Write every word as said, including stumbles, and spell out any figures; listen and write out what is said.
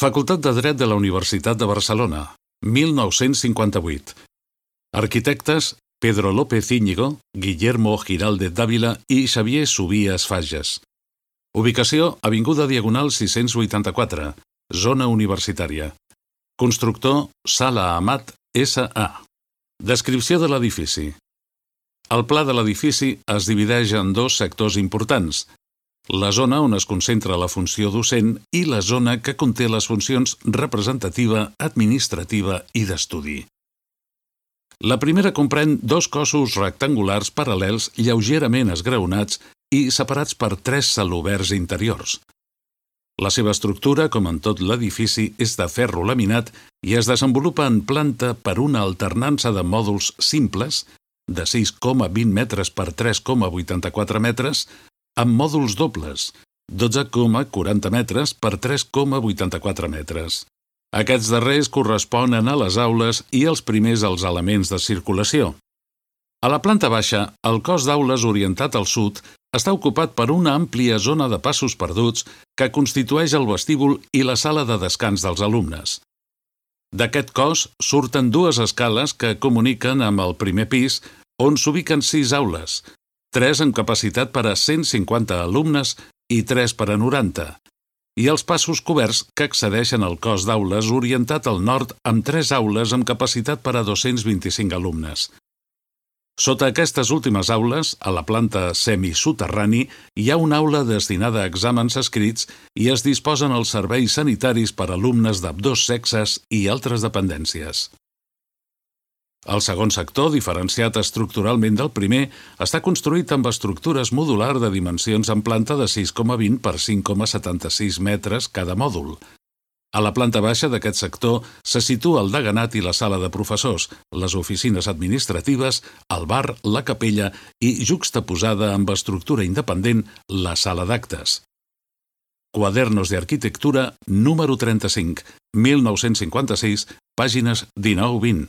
Facultat de Dret de la Universitat de Barcelona, mil nou-cents cinquanta-vuit. Arquitectes Pedro López Íñigo, Guillermo Giraldez Dávila i Xavier Subías Fages. Ubicació: Avinguda Diagonal sis-cents vuitanta-quatre, zona universitària. Constructor: Sala Amat S A. Descripció de l'edifici. El pla de l'edifici es divideix en dos sectors importants: la zona on es concentra la funció docent i la zona que conté les funcions representativa, administrativa i d'estudi. La primera comprèn dos cossos rectangulars paral·lels lleugerament esgraonats i separats per tres celoberts interiors. La seva estructura, com en tot l'edifici, és de ferro laminat i es desenvolupa en planta per una alternança de mòduls simples, de sis coma vint metres per tres coma vuitanta-quatre metres, amb mòduls dobles, dotze coma quaranta metres per tres coma vuitanta-quatre metres. Aquests darrers corresponen a les aules i els primers als elements de circulació. A la planta baixa, el cos d'aules orientat al sud està ocupat per una àmplia zona de passos perduts que constitueix el vestíbul i la sala de descans dels alumnes. D'aquest cos surten dues escales que comuniquen amb el primer pis, on s'ubiquen sis aules, tres amb capacitat per a cent cinquanta alumnes i tres per a noranta, i els passos coberts que accedeixen al cos d'aules orientat al nord amb tres aules amb capacitat per a dos-cents vint-i-cinc alumnes. Sota aquestes últimes aules, a la planta semisoterrani, hi ha una aula destinada a exàmens escrits i es disposen els serveis sanitaris per a alumnes d'ambdós sexes i altres dependències. El segon sector, diferenciat estructuralment del primer, està construït amb estructures modular de dimensions en planta de sis coma vint per cinc coma setanta-sis metres cada mòdul. A la planta baixa d'aquest sector se situa el deganat i la sala de professors, les oficines administratives, el bar, la capella i, juxtaposada amb estructura independent, la sala d'actes. Quadernos de Arquitectura, número trenta-cinc, mil nou-cents cinquanta-sis, pàgines dinou vint.